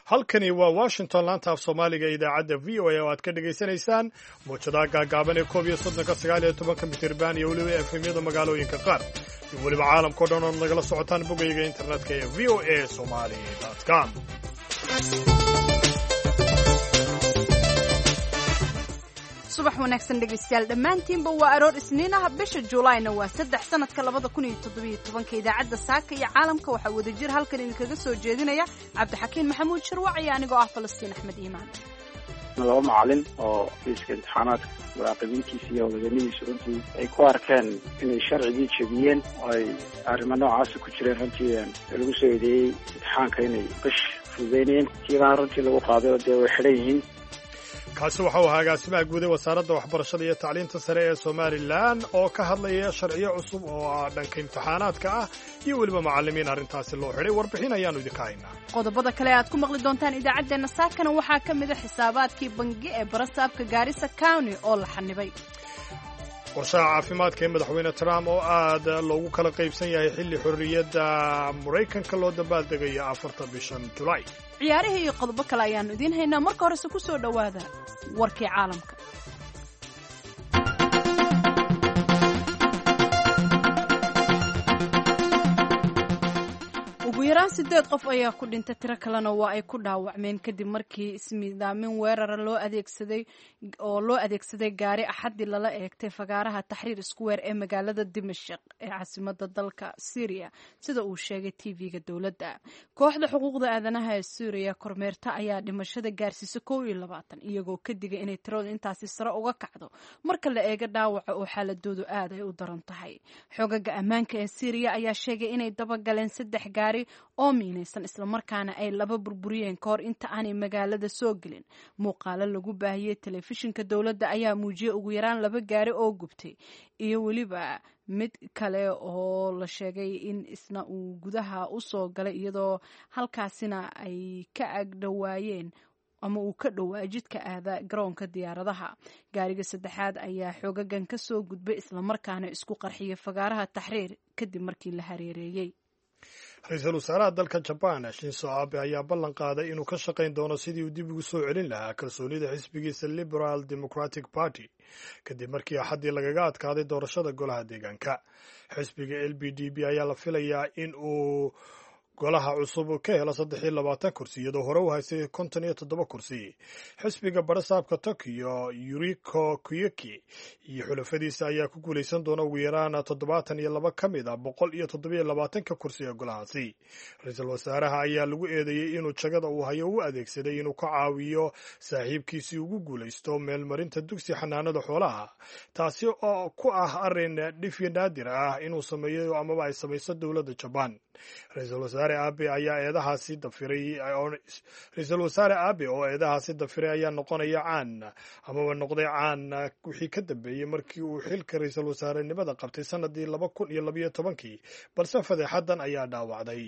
Halkani waa Washington, laanta af Soomaaliga, idaacadda VOA oo aad ka dhegaysanaysaan muwjadaha gaagaaban ee 31-ka, 19-ka mitirban iyo weliba FM-yada magaalooyinka qaar, iyo weliba caalamkao dhan ood nagala socotaan bogayga internetka ee voasomali.com. Subax wanaagsan dhegaystayaal dhammaantiinba. Waa aroor Isniin ah, bisha Juulaayna waa 3, sanadka 2017-ka. Idaacadda saaka iyo caalamka waxaa wadajir halkan idinkaga soo jeedinaya Cabdixakiin Maxamuud Sharwac iyo anigoo ah Falastiin Axmed Iimaan. Laba macalin oo fiiska imtixaanaadka muraaqibintiisa iyo howlwadanihiisa runtii ay ku arkeen inay sharcigii jebiyeen oo ay arrimo noocaasa ku jireen, runtii lagu soo eedeeyey imtixaanka inay qish fududeynayeen, tiibaan runtii lagu qaaday oo dee way xidhan yihiin. Kaasi waxau ahaa agaasimaha guud ee Wasaaradda Waxbarashada iyo Tacliinta Sare ee Somalilan oo ka hadlaya sharciyo cusub oo ah dhanka imtixaanaadka ah iyo weliba macallimiin arrintaasi loo xidhay. Warbixin ayaannu idinka haynaa. Qodobada kale aad ku maqli doontaan idaacaddeenna saakana waxaa ka mid a xisaabaadkii bangi ee barasaabka Gaarisa County oo la xanibay. Qorshaha caafimaadka ee Madaxweyne Trump oo aad loogu kala qaybsan yahay xilli xorriyadda Maraykanka loo dabaaldegayo 4-ta bishan Julaay. Ciyaarihii iyo qodobo kale ayaannu idiin haynaa. Marka horese ku soo dhowaada warkii caalamka. Ugu yaraan sideed qof ayaa ku dhintay, tiro kalena waa ay ku dhaawacmeen kadib markii ismiidaamin weerara loo adeegsaday oo loo adeegsaday gaari Axaddii lala eegtay fagaaraha Taxriir Square ee magaalada Dimashq ee caasimada dalka Syria, sida uu sheegay TV-ga dowladda. Kooxda xuquuqda aadanaha ee Syriya kormeerta ayaa dhimashada gaarsiisa 21, iyagoo ka digay inay tiradu intaasi sare uga kacdo marka la eego dhaawaca oo xaaladoodu aad ay u daran tahay. Xogaga ammaanka ee Syriya ayaa sheegay inay dabagaleen saddex gaari oo miinaysan, islamarkaana ay laba burburiyeen kahor inta aanay magaalada soo gelin. Muuqaalo lagu baahiyey telefishinka dowladda ayaa muujiyey ugu yaraan laba gaari oo gubtay iyo weliba mid kale oo la sheegay in isna uu gudaha u soo galay, iyadoo halkaasina ay ka agdhowaayeen ama uu ka dhowaa jidka aada garoonka diyaaradaha. Gaariga saddexaad ayaa xoogagan ka soo gudbay, islamarkaana isku qarxiyay fagaaraha Taxriir kadib markii la hareereeyey. Ra-iisul wasaaraha dalka Jabaan Shinso Abe ayaa ballan qaaday inuu ka shaqayn doono sidii uu dib ugu soo celin lahaa kalsoonida xisbigiisa Liberal Democratic Party kadib markii Axaddii lagaga adkaaday doorashada golaha deegaanka. Xisbiga LBDB ayaa la filayaa in uu golaha cusub ka helo 23 kursi, iyadoo hore u haystay 57 kursi. Xisbiga barasaabka Tokyo Yuriko Koike iyo xulafadiisa ayaa ku guulaysan doona ugu yaraan 72 ka mid ah 127-ka kursi ee golahaasi. Ra-iisul wasaaraha ayaa lagu eedeeyey inuu jagada uu hayo u adeegsaday inuu ka caawiyo saaxiibkiisii ugu guulaysto meelmarinta dugsi xanaanada xoolaha, taasi oo ku ah arrin dhifyo naadir ah inuu sameeyo amaba ay samayso dowladda Jabaan. Ra-iisul wasaare Abe ayaa eedahaasi dafiray. Ra-iisul wasaare Abe oo eedahaasi dafiray ayaa noqonaya caan amaba noqday caan wixii ka dambeeyey markii uu xilka ra-iisul wasaarenimada qabtay sanadii 2012-kii, balse fadeexadan ayaa dhaawacday.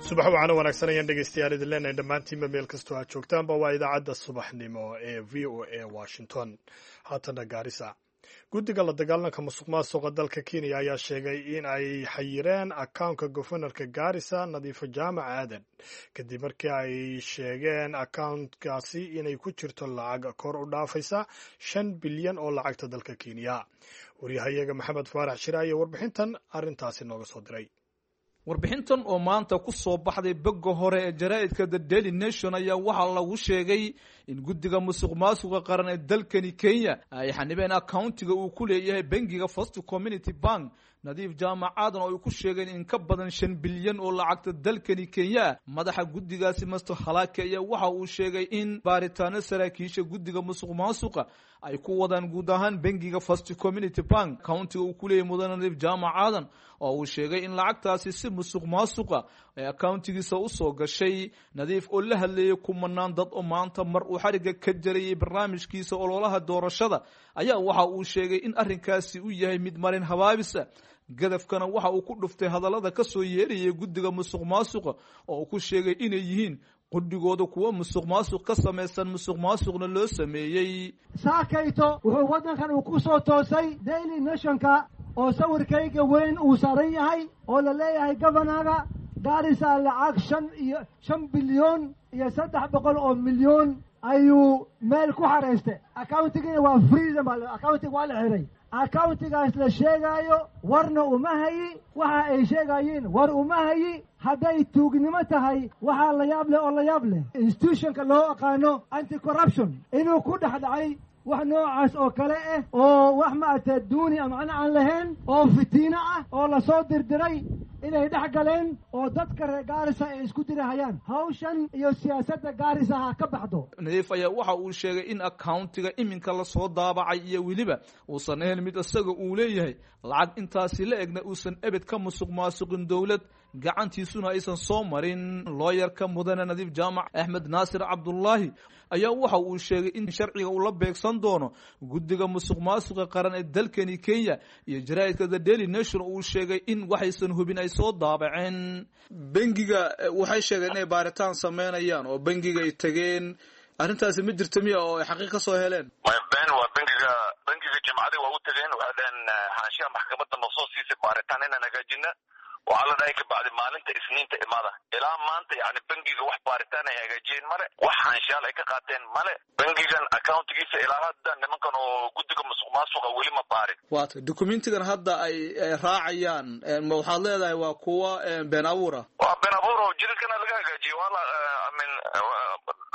Subax wacana wanaagsan ayaan dhegeystayaal idin leenahay dhammaantiinba meel kastoo aad joogtaanba. Waa idaacadda subaxnimo ee VOA Washington. Haatana Gaarisa. Guddiga la dagaalanka musuq maasuqa dalka Kenya ayaa sheegay in ay xayireen akawnka gofanarka Gaarisa Nadiifo Jaamac Aadan kadib markii ay sheegeen akawnkaasi inay ku jirto lacag kor u dhaafaysa 5 bilyan oo lacagta dalka Kenya. Waryahayaga Maxamed Faarax Shire ayaa warbixintan arrintaasi nooga soo diray. Warbixintan oo maanta ku soo baxday bogga hore ee jaraa'idka The Daily Nation ayaa waxaa lagu sheegay in guddiga musuq maasuqa qaran ee dalkani Kenya ay xanibeen accountiga uu ku leeyahay bangiga First Community Bank Nadiif Jaamac Aadan oo ay ku sheegeen in ka badan 5 bilyan oo lacagta dalkani Kenya ah. Madaxa guddigaasi Master Halake ayaa waxa uu sheegay in baaritaano saraakiisha guddiga musuq maasuqa ay ku wadaan guud ahaan bangiga First Community Bank countiga uu ku leeyahay mudane Nadiif Jaamac Aadan, oo uu sheegay in lacagtaasi si musuq maasuqa ay accountigiisa u soo gashay. Nadiif oo la hadlayay kumanaan dad oo maanta mar uu xariga ka jarayay barnaamijkiisa ololaha doorashada ayaa waxa uu sheegay in arrinkaasi uu yahay mid marin habaabisa. Gadafkana waxa uu ku dhuftay hadallada ka soo yeerayay guddiga musuq maasuqa oo uu ku sheegay inay yihiin qudhigooda kuwa musuq maasuq ka samaysan, musuq maasuqna loo sameeyey. Saakayto wuxuu waddankan uu ku soo toosay Daily Nationka oo sawirkayga weyn uu saaran yahay oo la leeyahay governaga Gaarisa lacag 5 bilyan iyo 300 oo milyan ayuu meel ku xaraystay. Accountigiina waa freedom, accountiga waa la xiray. Accountigaas la sheegaayo warna uma hayi, waxa ay sheegayiin war uma hayi. Hadday tuugnimo tahay waxaa la yaab leh oo la yaab leh institutionka loo aqaano anti corruption inuu ku dhex dhacay wax noocaas oo kale ah oo wax maaragtay duuni ama macno aan lahayn oo fitiino ah oo lasoo dirdiray inay dhex galeen oo dadka reer Gaarisa ay isku dirahayaan. Hawshan iyo siyaasadda Gaarisa ha ka baxdo. Nadiif ayaa waxa uu sheegay in accountiga iminka lasoo daabacay iyo weliba uusan ahayn mid isaga uu leeyahay, lacag intaasi la egna uusan ebed ka musuq maasuqin dowlad gacantiisuna aysan soo marin. Looyarka mudane Nadiif Jaamac Axmed Naasir Cabdullaahi ayaa waxa uu sheegay in sharciga uu la beegsan doono guddiga musuq maasuqa qaran ee dalkani Kenya iyo jaraa'idka The Daily Nation uu sheegay in waxaysan hubin ay soo daabaceen. Bangiga waxay sheegeen inay baaritaan sameynayaan oo bangiga ay tageen, arrintaasi ma jirta miya oo ay xaqiiq ka soo heleen? Ben waa bangiga jimcadii waa u tageen, waxay dhaheen xaashiyaha maxkamadda noo soo siisay baaritaan inaan hagaajina. Waxaa la dhahay kabacdi maalinta Isniinta imaada. Ilaa maanta yani bangiga wax baaritaan ay hagaajiyeen male, wax xaanshaal ay ka qaateen male. Bangigan accountigiisa ilaa hadda nimankan oo guddiga musuq maasuqa weli ma baarin. Waata documentigan hadda ay raacayaan ma waxaad leedahay waa kuwa been abuur ah? Waa been abuur oo jidadkana laga hagaajiyey. Waa la I mean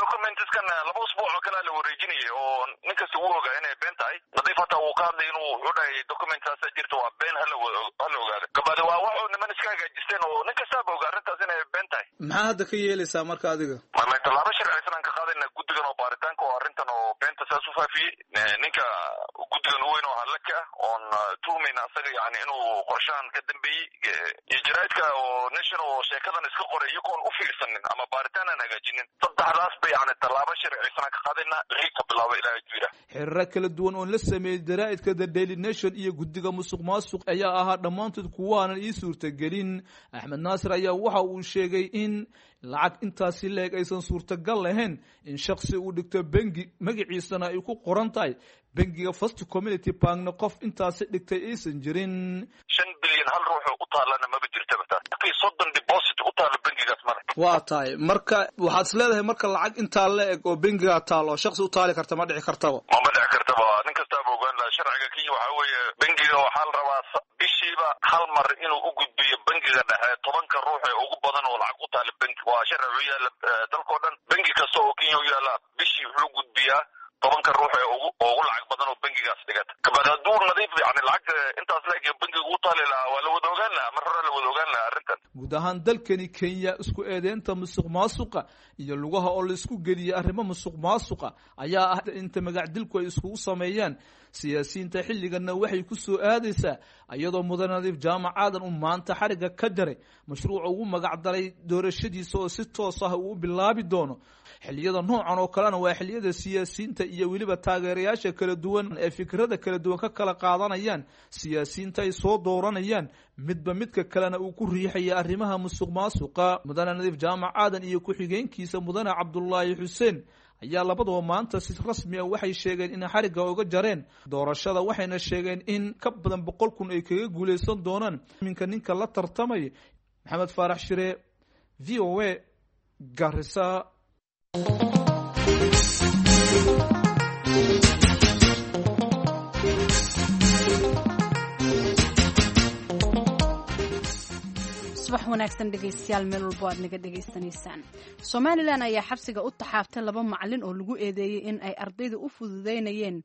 documentskan 2 usbuuc oo kale la wareejinayay oo nin kasta wuu ogaa inay been tahay. Nadiif hataa wuu ka hadlay inuu wuxuu dhahay documentsaasa jirta waa been, hala ogaado. Kabacdi waa waxuu niman iska hagaajisteen oo nin kastaaba ogaa arrintaas inay been tahay. Maxaa hadda ka yeelaysaa marka adiga? Ma tallaabo sharciysan aan ka qaadayna guddigan oo baaritaanka oo arrintan oo beenta saas u faafiyey. Ninka guddigan u weyn oo halaka ah oon tuhmayna asaga yani inuu qorshahan ka dambeeyey iyo jaraa'idka oo nation oo sheekadan iska qoray iyagoon u fiirsanin ama baaritaan aan hagaajinin. Saddexdaas ba yani tallaabo sharciysan aan ka qaadayna wixii ka bilaaba ilaahay jira. Xiriiro kala duwan oon la sameeyey jaraa'idka The Daily Nation iyo guddiga musuq maasuq ayaa ahaa dhammaantood kuwaanan ii suurtagelin. Axmed Naasir ayaa waxa uu sheegay in lacag intaasi leeg aysan suurtagal lahayn in shakhsi uu dhigto bangi magaciisana ay ku qoran tahay bangiga First Community Bankna qof intaasi dhigtay aysan jirin. 5 bilyan hal ruux u taalana maba jirtaba taas. 30 deposit u taalo bangigaas male. Waa tahay marka waxaad is leedahay marka lacag intaa la eg oo bangiga taalo shakhsi u taali karta ma dhici kartaba? Mama dhici kartaba, nin kastaaba ogaan lahaa. Sharciga Kenya waxaa weeye bangiga waxaa la rabaa bishiiba hal mar inuu u gudbiyo bangiga dhexe 10 ruux ee ugu badan oo lacag u taala bangi. Waa sharci u yaala dalkoo dhan. Bangi kasta oo Kenya u yaala bishii wuxuu gudbiyaa 10 ruux ee ugu lacag badan oo bangigaas dhigata. Kabacdi hadduu nadiif yani lacagta intaas la eg bangiga u taali lahaa waa la wada ogaan lahaa, mar hore la wada ogaan lahaa arrintan. Guud ahaan dalkani Kenya isku eedeynta musuq maasuqa iyo lugaha oo la isku geliyay arrimo musuq maasuqa ayaa ah inta magacdilku ay iskugu sameeyaan siyaasiyiinta. Xilliganna waxay ku soo aadaysaa iyadoo mudane Nadiif Jaamac Aadan uu maanta xariga ka jaray mashruuca ugu magac daray doorashadiisa oo si toos ah uu u bilaabi doono. Xilliyada noocan oo kalena waa xilliyada siyaasiyiinta iyo weliba taageerayaasha kala duwan ee fikrada kala duwan ka kala qaadanayaan siyaasiyiinta ay soo dooranayaan, midba midka kalena uu ku riixaya arrimaha musuq maasuqa. Mudane Nadiif Jaamac Aadan iyo ku-xigeenkiisa mudane Cabdullaahi Xuseen ayaa labadaba maanta si rasmi ah waxay sheegeen in xarigga uga jareen doorashada, waxayna sheegeen in ka badan 100,000 ay kaga guuleysan doonaan iminka ninka la tartamaya. Maxamed Faarax Shire, VOA, Garissa. Subax wanaagsan dhegeystayaal, meel walbo aad naga dhegaysanaysaan. Somalilan ayaa xabsiga u taxaaftay 2 macalin oo lagu eedeeyey in ay ardayda u fududeynayeen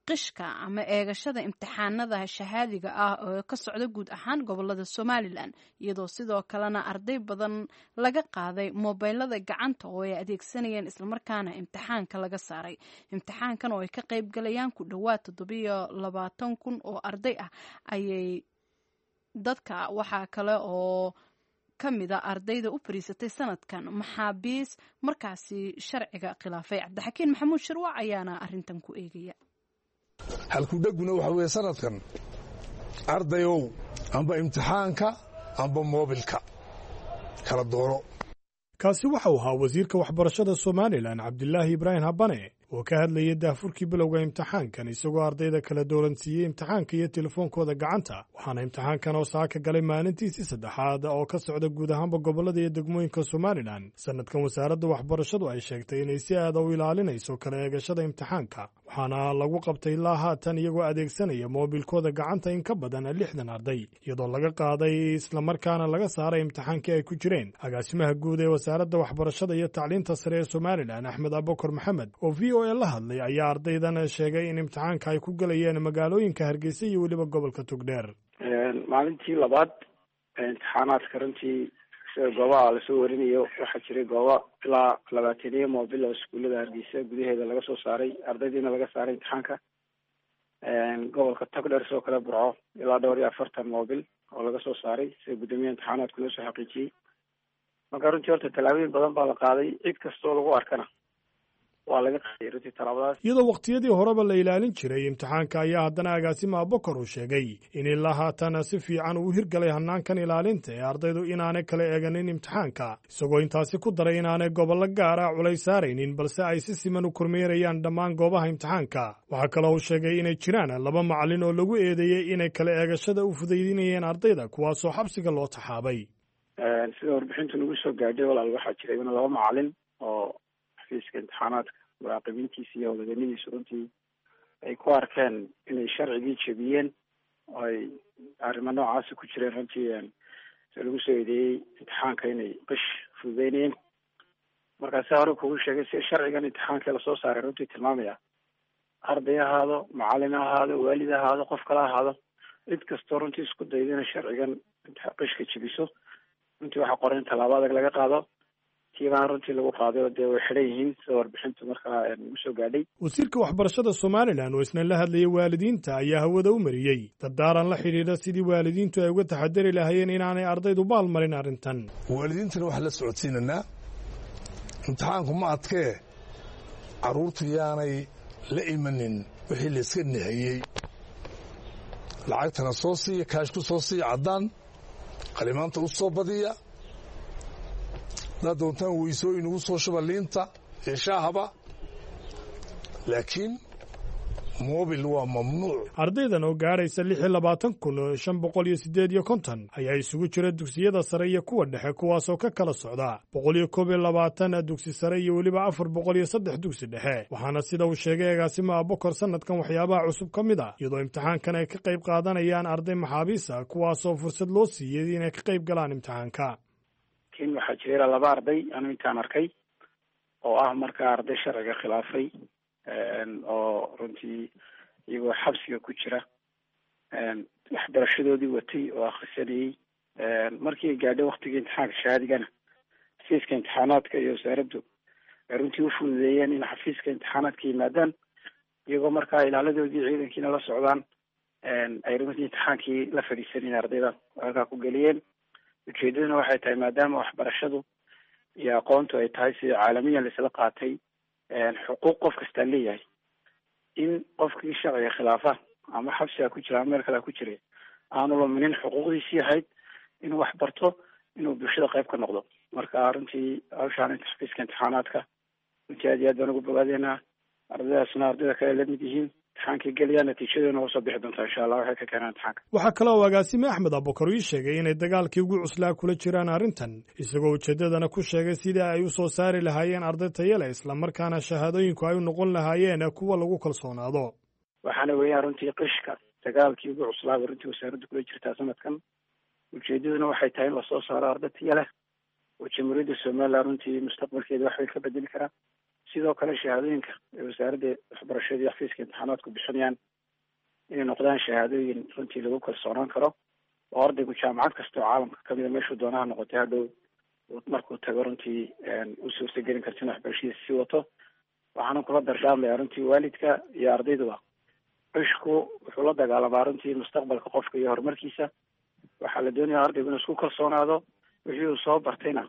Qishka ama eegashada imtixaanada shahaadiga ah oo ka socda guud ahaan gobolada Somalilan, iyadoo sidoo kalena arday badan laga qaaday moobeylada gacanta oo ay adeegsanayeen, islamarkaana imtixaanka laga saaray. Imtixaankan oo ay ka qayb galayaan ku dhowaad 27,000 oo arday ah ayay dadka waxaa kale oo ka mida ardayda u fariisatay sanadkan maxaabiis markaasi sharciga khilaafay. Cabdixakiin Maxamuud Shirwac ayaana arintan ku eegaya. Halkudheguna waxa weeye sanadkan, ardayow, amba imtixaanka amba moobilka kala dooro. Kaasi waxau ahaa wasiirka waxbarashada Somalilan, Cabdilaahi Ibraahim Habane, oo ka hadlayay daahfurkii bilowga imtixaankan, isagoo ardayda kala dooransiiyey imtixaanka iyo telefoonkooda gacanta. Waxaana imtixaankan oo saaka galay maalintiisii saddexaad oo ka socda guud ahaanba gobollada iyo degmooyinka Somalilan. Sanadkan wasaaradda waxbarashadu ay sheegtay inay si aada u ilaalinayso kala eegashada imtixaanka, waxaana lagu qabtay ilaa haatan iyagoo adeegsanaya moobilkooda gacanta in ka badan 60 arday, iyadoo laga qaaday islamarkaana laga saaray imtixaankii ay ku jireen. Agaasimaha guud ee wasaaradda waxbarashada iyo tacliinta sare ee Somalilan, Axmed Abukar Maxamed, oo VOA la hadlay, ayaa ardaydan sheegay in imtixaanka ay ku galayeen magaalooyinka Hargeysa iyo weliba gobolka Togdheer. Maalintii labaad imtixaanaadka, runtii sida goobaha lasoo warinayo, waxaa jiray goobo ilaa 20 moobil oo iskuullada Hargeysa gudaheeda laga soo saaray, ardaydiina laga saaray imtixaanka. Gobolka Togdheer sidoo kale, Burco, ilaa dhowr iyo 40 moobil oo laga soo saaray, sida guddoomiyaha imtixaanaadku loo soo xaqiijiyey. Marka runtii horta tallaabooyin badan baa la qaaday, cid kastoo lagu arkana waa laga qaaday runtii tallaabadaas. Iyadoo wakhtiyadii horeba la ilaalin jiray imtixaanka, ayaa haddana agaasima Abokor uu sheegay in ilaa haatan si fiican uu hirgalay hannaankan ilaalinta ee ardaydu inaanay kala eeganin imtixaanka, isagoo intaasi ku daray inaanay gobollo gaar ah culays saaraynin, balse ay si siman u kormeerayaan dhammaan goobaha imtixaanka. Waxaa kaloo uu sheegay inay jiraan laba macallin oo lagu eedeeyey inay kala eegashada u fudaydinayeen ardayda, kuwaasoo xabsiga loo taxaabay. Sida warbixintu nagu soo gaadhay, walaal, waxaa jiray in laba macallin oo xafiiska imtixaanaadka muraaqibintiisa iyo howlwadeennadiisu runtii ay ku arkeen inay sharcigii jebiyeen oo ay arrimo noocaasi ku jireen, runtii sida lagu soo eedeeyey imtixaanka inay qish fududeynayeen. Markaa si hore kugu sheegay, si sharcigan imtixaanka lasoo saaray runtii tilmaamaya, arday ahaado, macallin ha ahaado, waalid ha ahaado, qof kale ha ahaado, cid kastoo runtii isku dayda inay sharcigan qishka jebiso, runtii waxaa qoran in tallaabo adag laga qaado. Tiibaan runtii lagu qaaday oo dee way xidhan yihiin, sida warbixintu markaa nagu soo gaadhay. Wasiirka waxbarashada Somalilan oo isna la hadlayay waalidiinta ayaa hawada u mariyey dardaaran la xidhiidha sidii waalidiintu ay uga taxadari lahaayeen inaanay ardaydu baalmarin arrintan. Waalidiintana waxaan la socodsiinanaa, imtixaanku ma adkee, carruurtu yaanay la imanin wixii layska nahiyey. Lacagtana soo siiya, kaash ku soo siiya, caddaan, qalimaanta u soo badiya, haddaad doontaan weysooyin ugu soo shuba, liinta iyo shaahaba, laakiin mobil waa mamnuuc. Ardaydan oo gaadhaysa 26,558 ayaa isugu jira dugsiyada sare iyo kuwa dhexe, kuwaasoo ka kala socda 121 dugsi sare iyo weliba 403 dugsi dhexe. Waxaana sida uu sheegay agaasima Abokor sanadkan waxyaabaha cusub ka mid a iyadoo imtixaankan ay ka qayb qaadanayaan arday maxaabiis ah, kuwaasoo fursad loo siiyey inay ka qayb galaan imtixaanka. Laakiin waxaa jira ilaa laba arday anu intaan arkay oo ah markaa arday sharciga khilaafay, oo runtii iyagoo xabsiga ku jira waxbarashadoodii watay oo akhrisanayey. Markii ay gaadhay waktigii imtixaanka shahaadigana, xafiiska imtixaanaadka iyo wasaaraddu ay runtii ufududeeyeen in xafiiska imtixaanaadka yimaadaan, iyagoo markaa ilaaladoodii ciidankiina la socdaan, ay runtii imtixaankii la fadhiisanayeen ardayda halkaa ku geliyeen. Ujeedaduna waxay tahay, maadaama waxbarashadu iyo aqoontu ay tahay sida caalamiyan laisla qaatay xuquuq qof kastaa leeyahay, in qofkii sharciga khilaafa ama xabsiga ku jira ama meel kalea ku jiray aanu luminin xuquuqdiisii ahayd inuu wax barto, inuu bulshada qayb ka noqdo. Marka runtii hawshaan xafiiska imtixaanaadka runtii aad iyo aad baan ugu bogaadeynaa. Ardaydaasna ardayda kale lamid yihiin, imtixaankay gelayaan, natiijaduna usoo bixi doontaa insha Allah waxay ka keenaan imtixaanka. Waxaa kale oo agaasime Axmed Abukar ii sheegay inay dagaalkii ugu cuslaa kula jiraan arrintan, isagoo ujeeddadana ku sheegay sidii ay u soo saari lahaayeen arday tayo leh, islamarkaana shahaadooyinku ay u noqon lahaayeen kuwa lagu kalsoonaado. Waxaana weeyaan runtii qishka dagaalkii ugu cuslaaba runtii wasaaraddu kula jirtaa sanadkan. Ujeedaduna waxay tahay in lasoo saaro arday tayo leh oo Jamhuuriyadda Somaliland runtii mustaqbalkeeda wax way ka bedeli karaa. Sidoo kale shahaadooyinka ee wasaaradda waxbarashada iyo xafiiska imtixaanaadku bixinayaan inay noqdaan shahaadooyin runtii lagu kalsoonaan karo, oo ardaygu jaamacad kasta oo caalamka kamida meeshuu doonaha noqotay hadhow markuu tago runtii u suurtagelin karto in waxbarashadiisa sii wato. Waxaana kula dardaarmayaa runtii waalidka iyo ardayduba, cishku wuxuu la dagaalamaa runtii mustaqbalka qofka iyo horumarkiisa. Waxaa la doonaya ardaygu inuu isku kalsoonaado, wixii uu soo bartayna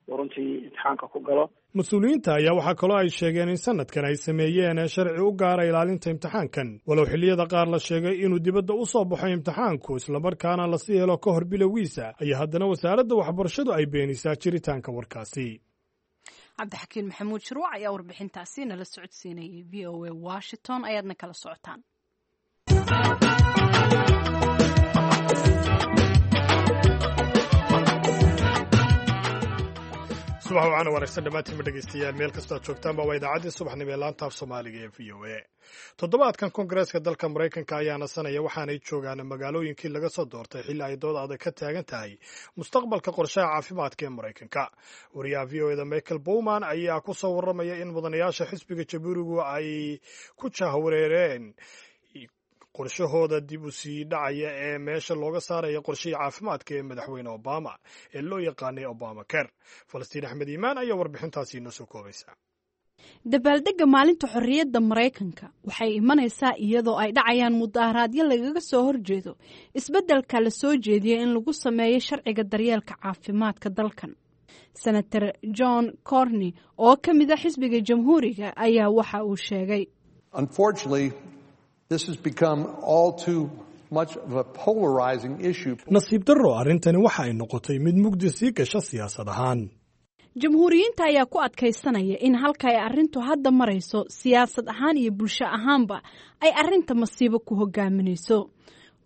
uu runtii imtixaanka ku galo. Mas-uuliyiinta ayaa waxaa kaloo ay sheegeen in sanadkan ay sameeyeen sharci u gaara ilaalinta imtixaankan, walow xilliyada qaar la sheegay inuu dibadda u soo baxo imtixaanku islamarkaana lasii helo ka hor bilowgiisa, ayaa haddana wasaaradda waxbarashadu ay beenisaa jiritaanka warkaasi. Cabdixakiin Maxamuud Shirwac ayaa warbixintaasi nala socodsiinayay. VOA Washington ayaadna kala socotaan. Subax wacan wanaagsan dhammaantiinba dhegeystayaal, meel kastoo aad joogtaanba. Waa idaacaddii subaxnimo ee laanta af Soomaaliga ee VOA. Toddobaadkan Koongareeska dalka Maraykanka ayaa nasanaya, waxaanay joogaan magaalooyinkii laga soo doortay xilli ay dood adag ka taagan tahay mustaqbalka qorshaha caafimaadka ee Maraykanka. Wariyaha VOA da Michael Bowman ayaa ku soo warramaya in mudanayaasha xisbiga Jamhuurigu ay ku jahwareereen qorshahooda dib u sii dhacaya ee meesha looga saaraya qorshihii caafimaadka ee madaxweyne Obama ee loo yaqaanay Obama Care. Falastiin Axmed Iimaan ayaa warbixintaasi inoo soo koobaysa. Dabaaldegga maalinta xorriyadda Maraykanka waxay imanaysaa iyadoo ay dhacayaan mudaaharaadyo lagaga soo horjeedo isbeddelka la soo jeediyey in lagu sameeyo sharciga daryeelka caafimaadka dalkan. Senator John Cornyn oo ka mid a xisbiga Jamhuuriga ayaa waxa uu sheegay: Nasiib darro, arrintani waxa ay noqotay mid mugdi sii gasha siyaasad ahaan. Jamhuuriyiinta ayaa ku adkaysanaya in halka ay arrintu hadda marayso siyaasad ahaan iyo bulsho ahaanba ay arrinta masiibo ku hogaaminayso.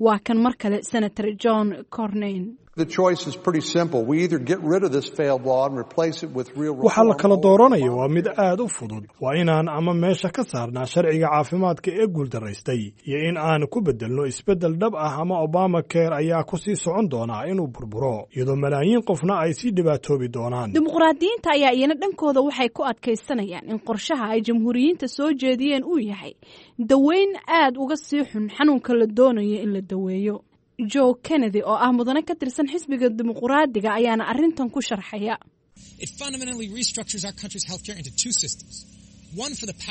Waa kan mar kale Senator John Cornyn. Waxaa la kala dooranaya waa mid aad u fudud: waa inaan ama meesha ka saarnaa sharciga caafimaadka ee guuldaraystay iyo in aan ku beddelno isbeddel dhab ah, ama Obama Care ayaa ku sii socon doonaa inuu burburo, iyadoo malaayiin qofna ay sii dhibaatoobi doonaan. Dimuqraadiyiinta ayaa iyana dhankooda waxay ku adkaysanayaan in qorshaha ay Jamhuuriyiinta soo jeediyeen uu yahay daweyn aad uga sii xun xanuunka la doonayo in la daweeyo. Joe Kennedy oo ah mudane ka tirsan xisbiga Dimuqraadiga ayaana arrintan ku sharxaya.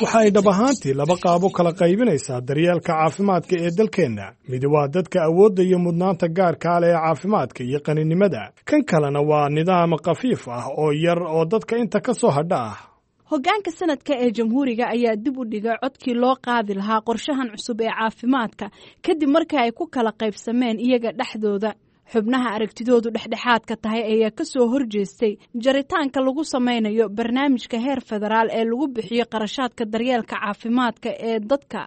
Waxa ay dhab ahaantii laba qaabo kala qaybinaysaa daryeelka caafimaadka ee dalkeenna. Mid waa dadka awoodda iyo mudnaanta gaarkaa leh ee caafimaadka iyo qaninimada, kan kalena waa nidaam khafiif ah oo yar oo dadka inta ka soo hadha ah. Hoggaanka sanadka ee Jamhuuriga ayaa dib u dhigay codkii loo qaadi lahaa qorshahan cusub ee caafimaadka kadib markii ay ku kala qaybsameen iyaga dhexdooda. Xubnaha aragtidoodu dhexdhexaadka tahay ayaa ka soo horjeestay jaritaanka lagu sameynayo barnaamijka heer federaal ee lagu bixiyo qarashaadka daryeelka caafimaadka ee dadka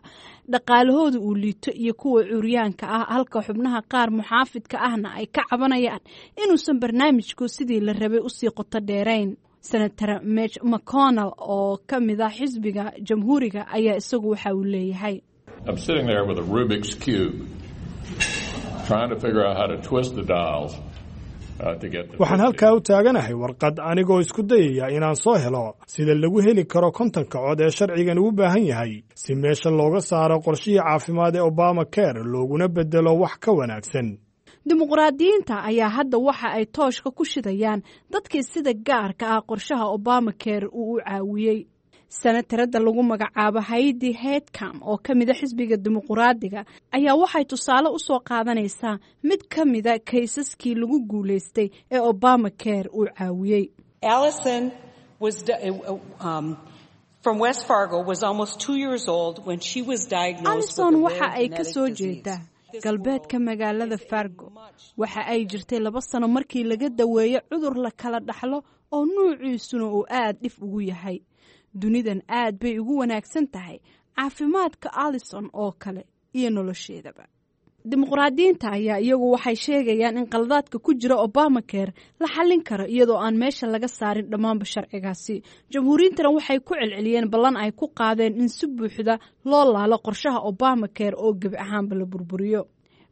dhaqaalahooda uu liito iyo kuwa curyaanka ah, halka xubnaha qaar muxaafidka ahna ay ka cabanayaan inuusan barnaamijku sidii la rabay usii qoto dheerayn. Senator Mitch McConnell oo ka mid ah xisbiga Jamhuuriga ayaa isagu waxa uu leeyahay: I'm sitting there with a Rubik's Cube, trying to figure out how to twist the dials to get the Waxaan halkaa u taaganahay warqad, anigoo isku dayaya inaan soo helo sida lagu heli karo 50-ka cod ee sharcigan ugu baahan yahay si meesha looga saaro qorshihii caafimaad ee Obama Care looguna beddelo wax ka wanaagsan. Dimuqraadiyiinta ayaa hadda waxa ay tooshka ku shidayaan dadkii sida gaarka ah qorshaha Obamacare uu u caawiyey. Senatarada lagu magacaabo Heidi Heitkamp oo ka mida xisbiga Dimuqraadiga ayaa waxay tusaale u soo qaadanaysaa mid ka mida kaysaskii lagu guulaystay ee Obamacare uu caawiyey. Allison was from West Fargo was almost 2 years old when she was diagnosed Alison with a waxa rare ay ka genetic soo disease. jeedaa galbeedka magaalada Fargo. Waxa ay jirtay 2 sano markii laga daweeyo cudur la kala dhaxlo oo nuuciisuna uu aad dhif ugu yahay dunidan. Aad bay ugu wanaagsan tahay caafimaadka Alison oo kale iyo nolosheedaba. Dimuqraadiyiinta ayaa iyagu waxay sheegayaan in qaladaadka ku jira Obamacare la xallin karo iyadoo aan meesha laga saarin dhammaanba sharcigaasi. Jamhuuriyiintana waxay ku celceliyeen ballan ay ku qaadeen in si buuxda loo laalo qorshaha Obamacare oo gebi ahaanba la burburiyo.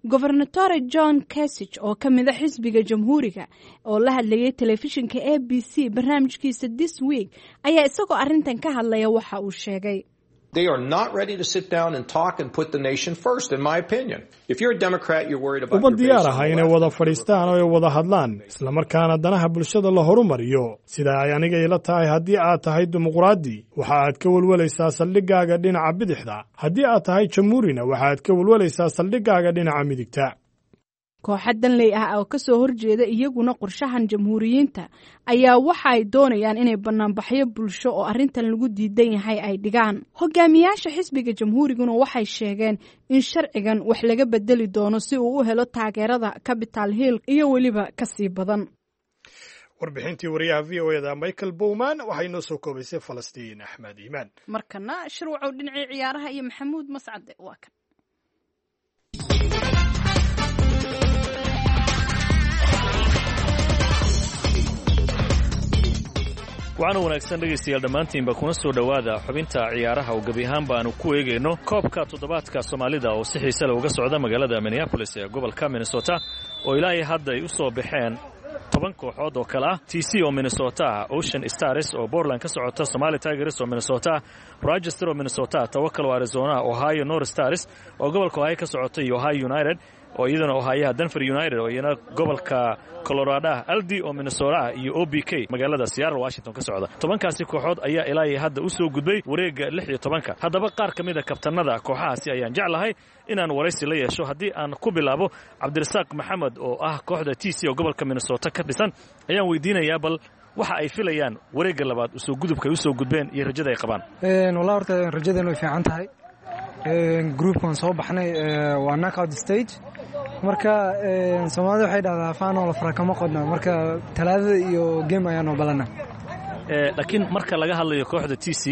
Gobernatore John Kasich oo ka mida xisbiga Jamhuuriga oo la hadlayay telefishinka ABC barnaamijkiisa This Week ayaa isagoo arrintan ka hadlaya waxa uu sheegay: They are not ready to sit down and talk and put the nation first, in my opinion. If you're a Democrat, you're worried about Uma your base diyaar on aha the inay left. Wada fadhiistaan oo ay wada hadlaan, islamarkaana danaha bulshada la horumariyo. Sida ay aniga ila tahay, haddii aad tahay dimuqraadi, waxa aad ka welwalaysaa saldhiggaaga dhinaca bidixda. Haddii aad tahay jamhuurina, waxa aad ka welwalaysaa saldhiggaaga dhinaca midigta. Kooxa danley ah oo kasoo horjeeda iyaguna qorshahan Jamhuuriyiinta ayaa waxa ay doonayaan inay banaanbaxyo bulsho oo arrintan lagu diidan yahay ay dhigaan. Hogaamiyaasha xisbiga Jamhuuriguna waxay sheegeen in sharcigan wax laga bedeli doono si uu u helo taageerada Capital Hill iyo weliba kasii badan. Warbixintii wariyaha VOA-da Michael Bowman waxay noo soo koobaysay Falastiin Axmed Iimaan. Markana Shirwacow, dhinacii ciyaaraha iyo Maxamuud Mascade waa kan. Waxaana wanaagsan, dhegaystayaal, dhammaantiinba kuna soo dhowaada xubinta ciyaaraha oo gebi ahaan baanu ku eegayno koobka toddobaadka Soomaalida oo si xiise leh uga socda magaalada Minneapolis ee gobolka Minnesota, oo ilaa iyo hadda ay u soo baxeen 10 kooxood oo kale ah: TC oo Minnesota ah, Ocean Stars oo Portland ka socota, Somali Tigers oo Minnesota ah, Rochester oo Minnesota ah, Tawakal oo Arizona ah, Ohio North Stars oo gobolka Ohio ka socota iyo Ohio United oo iyaduna Ohioha, Denver United oo iyana gobolka Colorado ah, Aldi oo Minnesota ah iyo OBK magaalada Seattle, Washington ka socda. 10-kaasi kooxood ayaa ilaa iyo hadda u soo gudbay wareegga 16-ka. Haddaba qaar ka mid a kabtanada kooxahaasi ayaan jeclahay inaan waraysi la yeesho. Haddii aan ku bilaabo Cabdirasaaq Maxamed oo ah kooxda TC oo gobolka Minnesota ka dhisan, ayaan weydiinayaa bal waxa ay filayaan wareegga labaad usoo gudubka ay usoo gudbeen iyo rajada ay qabaan. Wallahi, horta rajadeenu way fiican tahay. Groupkan soo baxnay waa knockout stage. Marka Soomaalida waxay dhahdaa "Faanoo la fara kama qodna". Marka Talaadada iyo game ayaanoo balana. Laakiin marka laga hadlayo kooxda TC,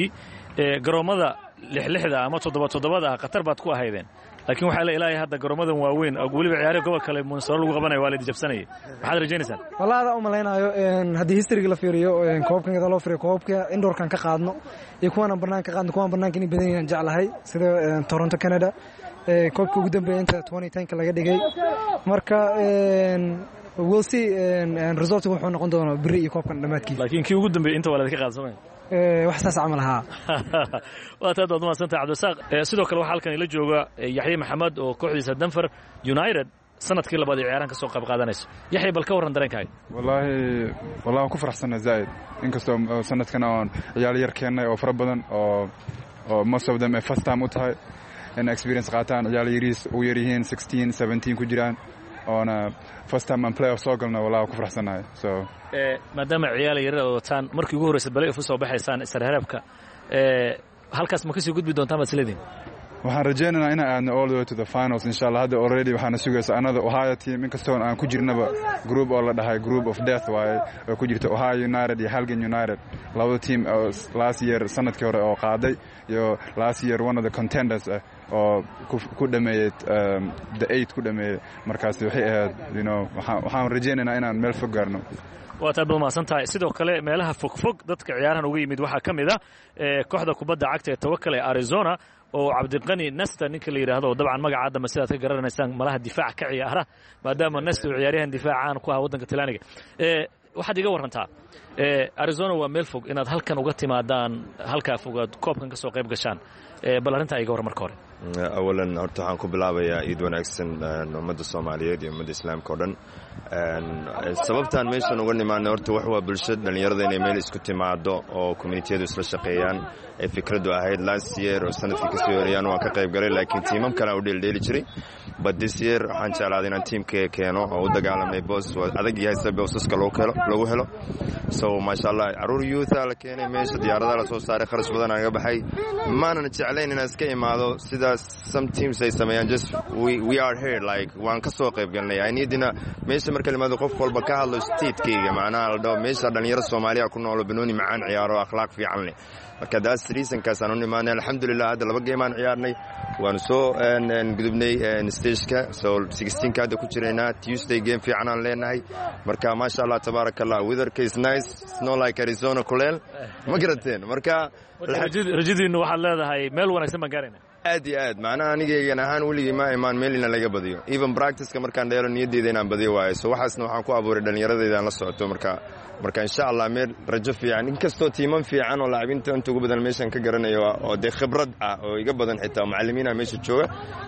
garoommada lixlixda ama toddoba toddobada ah khatar baad ku ahaydeen, laakiin waxaa la ilaahay hadda garoomadan waaweyn oo weliba ciyaarihi gobol kale Minnesota lagu qabanayo waa la jabsanayay. Maxaad rajaynaysaan? Wallahi, adaa u malaynayo haddii historyga la fiiriyo, koobkan gada loo fiiriyo, koobka indoorkan ka qaadno iyo kuwaana banaanka ka qaadno, kuwaan banaanka inay badan yihiin jeclahay, sida Toronto, Canada, koobka ugu dambeeya inta 2010-ka laga dhigay. Marka we'll see resultka wuxuu noqon doonaa beri iyo koobkan dhammaadkiisa. Laakiin kii ugu dambeeyey inta waa laydinka qaada, soomaya? Wax saas camal ahaa. Waa taad, waad mahadsantahay, Cabdirasaaq. Sidoo kale waxaa halkan ila jooga Yaxye Maxamed oo kooxdiisa Denver United sanadkii labaad ee ciyaarahan ka soo qayb qaadanayso. Yaxye, bal ka warran dareenkaaga. Wallaahi, wallahi waan ku faraxsanaa zaa'id, inkastoo sanadkan oon ciyaal yar keennay oo fara badan oo most of them ay first time u tahay in experience qaataan, ciyaal yariis ugu yar yihiin 16, 17 ku jiraan, oona first time aan playoff soo galno. Wallahi waan ku faraxsanahay, so Maadaama ciyaal yarada wataan, markii ugu horreysa balay u soo baxaysaan isreebka, halkaas ma kasii gudbi doontaan baad isleedihin? Waxaan rajaynaynaa inaan aadno all the way to the finals, insha Allah. Hadda already waxaana sugaysa another Ohio team, inkastoo aan ku jirnaba group oo la dhahay group of death waaye, oo ku jirta Ohio United iyo Halgan United, labada team oo last year, sanadkii hore oo qaaday, iyo last year one of the contenders ah oo ku dhameeyey the eight ku dhameeyey. Markaas waxay ahayd waxaan rajaynaynaa inaan meel fog gaarno. Waa taad, baad mahadsan tahay. Sidoo kale meelaha fogfog dadka ciyaarahan uga yimid waxaa ka mid ah kooxda kubadda cagta ee Tawakal ee Arizona oo Cabdiqani Nesta ninka la yidhaahdo, oo dabcan magaca dambe sidaad ka garanaysaan malaha difaac ka ciyaara, maadaama Nesta uu ciyaaryahan difaac caan ku ah waddanka Talyaaniga. Waxaad iga warrantaa, Arizona waa meel fog, inaad halkan uga timaadaan halkaa fogaad koobkan ka soo qayb gashaan, bal arrintaa iga warran marka hore. Awalan horta waxaan ku bilaabayaa iid wanaagsan ummadda Soomaaliyeed iyo ummadda Islaamka o dhan. Sababtaan meeshan uga nimaadnay horta wax waa bulshada dhallinyarada inay meel isku timaado oo communitiyadu isla shaqeeyaan ay fikraddu ahayd. Last year oo sanadkii kasoo horeeyaan waan ka qayb galay, laakiin tiimam kale aan u dheeldheeli jiray, but this year waxaan jeclaaday inaan tiimkayga keeno oo u dagaalamnay. Boos waa adag yahay sida boosaska lagu helo, so maasha Allah, caruur youtha la keenay meesha, diyaaradaha la soo saaray, kharash badan aan ga baxay. Maanan jeclayn inaan iska imaado sidaas some teams ay sameeyaan. Just we are here, like waan ka soo qayb galnay. I need-ina meesha marka la imaado qof walba ka hadlo statekayga, macnaha la dhaho meesha dhalinyaro Soomaaliya ku noolo, banooni macaan ciyaaro, akhlaaq fiican leh. Marka daas reasonkaas aan u nimaanay. Alxamdulilah, hadda laba game aan ciyaarnay, waanu soo gudubnay stageka, so 16ka hadda ku jiraynaa. Tuesday game fiican aan leenahay. Marka maasha Allah, tabaaraka Allah, weatherka is nice. It's not like Arizona kuleel, ma garateen? Marka Rajadiinu waxaad leedahay meel wanaagsan baan gaarayna. Aad iyo aad, macnaha anigaygan ahaan weligii ma imaan meel ina laga badiyo. Even practiceka markaan dheelo niyadeyda inaan badiyo waayo. So waxaasna waxaan ku abuuray dhallinyaradayda aan la socoto. Marka insha Allah meel rajo fiican, inkastoo tiiman fiican oo laacibinta inta ugu badan meeshan ka garanayo oo dee khibrad ah oo iga badan, xitaa macallimiina meesha jooga,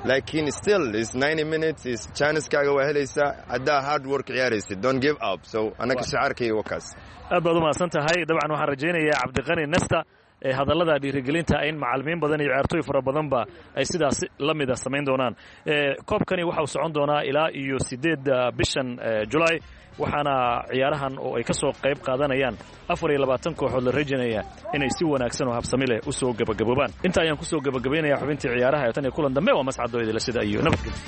laakiin still is 90 minutes is chancekaaga waa helaysaa haddaa hard work ciyaaraysid. Don't give up. So anaka shacaarkayga waa kaas. Aad baad u mahadsan tahay. Dabcan waxaan rajaynayaa Cabdiqani Nesta ee hadallada dhiirigelinta in macallimiin badan iyo ciyaartooy fara badanba ay sidaas la mida samayn doonaan. Koobkani waxa uu socon doonaa ilaa iyo 8-da bishan Julaay, waxaana ciyaarahan oo ay ka soo qayb qaadanayaan 24 kooxood la rajaynaya inay si wanaagsan oo habsami leh u soo gebagaboobaan. Inta ayaan ku soo gebagabaynaya xubintii ciyaaraha ee tan iyo kulan dambe, waa Mascadoo idila sida iyo nabadgelyo.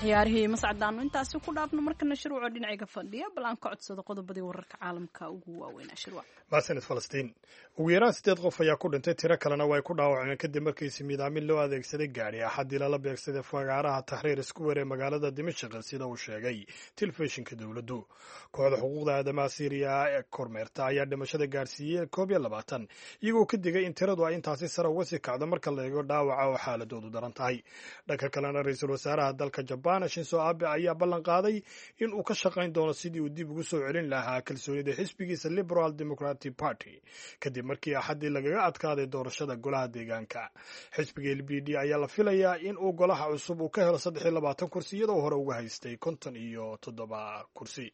Ciyaarihii Mascadaanu intaasi ku dhaafno. Markana Shirwaco dhinacayga fadhiya, bal aan ka codsado qodobadii wararka caalamka ugu waaweynaa, Shirwac. Mahadsanid, Falastiin. Ugu yaraan sideed qof ayaa ku dhintay, tiro kalena way ku dhaawacmeen kadib markiisi miidaamin loo adeegsaday gaadhi Axaddii lala beegsaday fagaaraha Taxriir Square ee magaalada Dimashq, sida uu sheegay telefishinka dowladdu. Kooxda xuquuqda aadamaha Siiriya ee kormeerta ayaa dhimashada gaadhsiiyey 21, iyagoo ka digay in tiradu ay intaasi sare uga sii kacdo marka la eego dhaawaca oo xaaladoodu daran tahay. Dhanka kalena, ra-iisul wasaaraha dalka Jabaan Shinso Abe ayaa ballan qaaday in uu ka shaqayn doono sidii uu dib ugu soo celin lahaa kalsoonida xisbigiisa Liberal Democratic Party kadib markii Axaddii lagaga adkaaday doorashada golaha deegaanka. Xisbiga LPD ayaa la filayaa in uu golaha cusub uu ka helo 23 kursi, iyadoo hore uga haystay 57 kursi.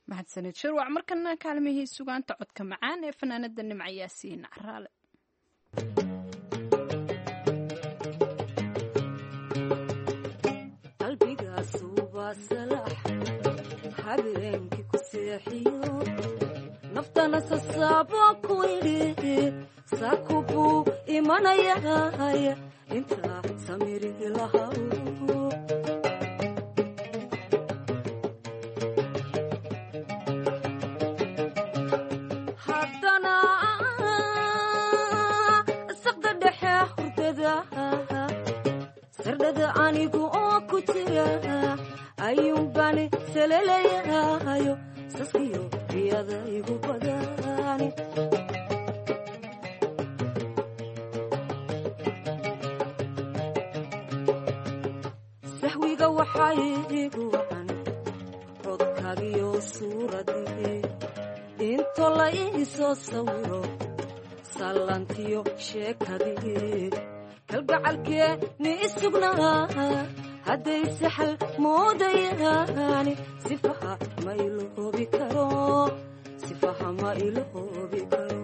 Mahadsanid, Shirwac. Markana kaalmihii sugaanta, codka macaan ee fanaanada Nimca Yaasiin Caraale. Habeenkii ku seexiyo naftana sasaabo ku idhi, saaku buu imanayay intaa samiri lahaw. Haddana saqda dhexe hurdada sardhada anigu oo ku jira ayuunbani salalayahayo, saskiyo riyada igu badani. Sahwiga waxaa iigu wacan codkagiyo suuradii, into la iisoo sawiro sallantiyo sheekadii kalgacalkee ni isugnaa, hadday saxal moodayaani sifaha ma iloobi karo, sifaha ma iloobi karo.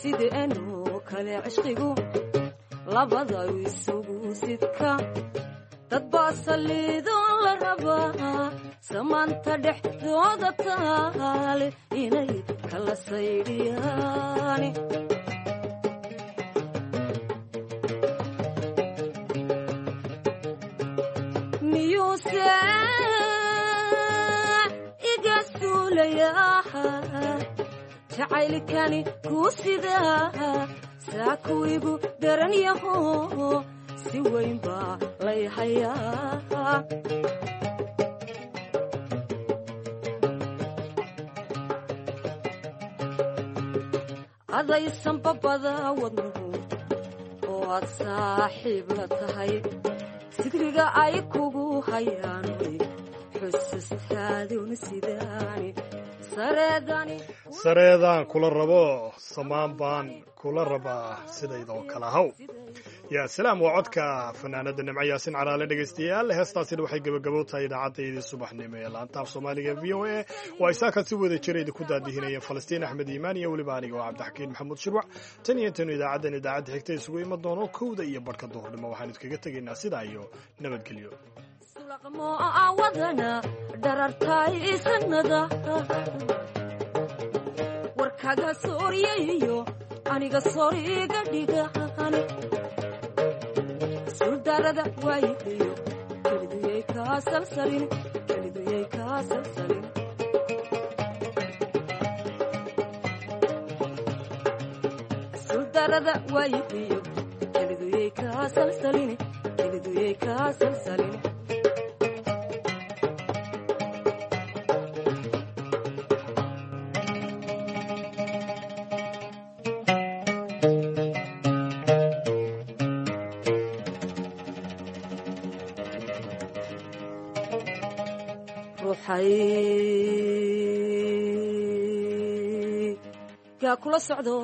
Sida enoo kale cishqigu labada isugu sidka, dad baa saliidoon la rabaa samaanta dhexdooda taale inay kala saydhiyaani. Miyuuse iga suulayaa jacaylkani kuu sidaa, saaku igu daran yaho, si weyn baa lay hayaa. Adaysan babada wadnuhu oo aad saaxiib la tahay, sigriga ay kugu hayaan xusustaaduna sidaani sareedani. Sareedaan kula rabo, samaan baan kula rabaa, sidaydoo kala haw. Yaa salaam, waa codka fanaanada Nimco Yaasin Caraale. Dhegaystayaal, heestaasina waxay gebagabo tahay idaacaddayadii subaxnimo ee laanta af Soomaaliga V O A. Waa isaakan si wada jira idinku daadihinaya Falastiin Axmed Iimaan iyo weliba aniga oo Cabdixakiin Maxamuud Shirwac. Tan iyo intaynu idaacaddan idaacadda xigta isugu iman doono 1:30 duhurnimo, waxaanu idkaga tegaynaa sidaa iyo nabadgelyo. Wadana dharartay sanada warkaga sooryayo aniga sooriga dhigan suldarada waayihiyo keliduyay kaa salsalin, keliduyay kaa salsalin. Suldarada waayihiyo keliduyay kaa salsalin, Keliduyay kaa salsalin. Ruuxay kaa kula socdo.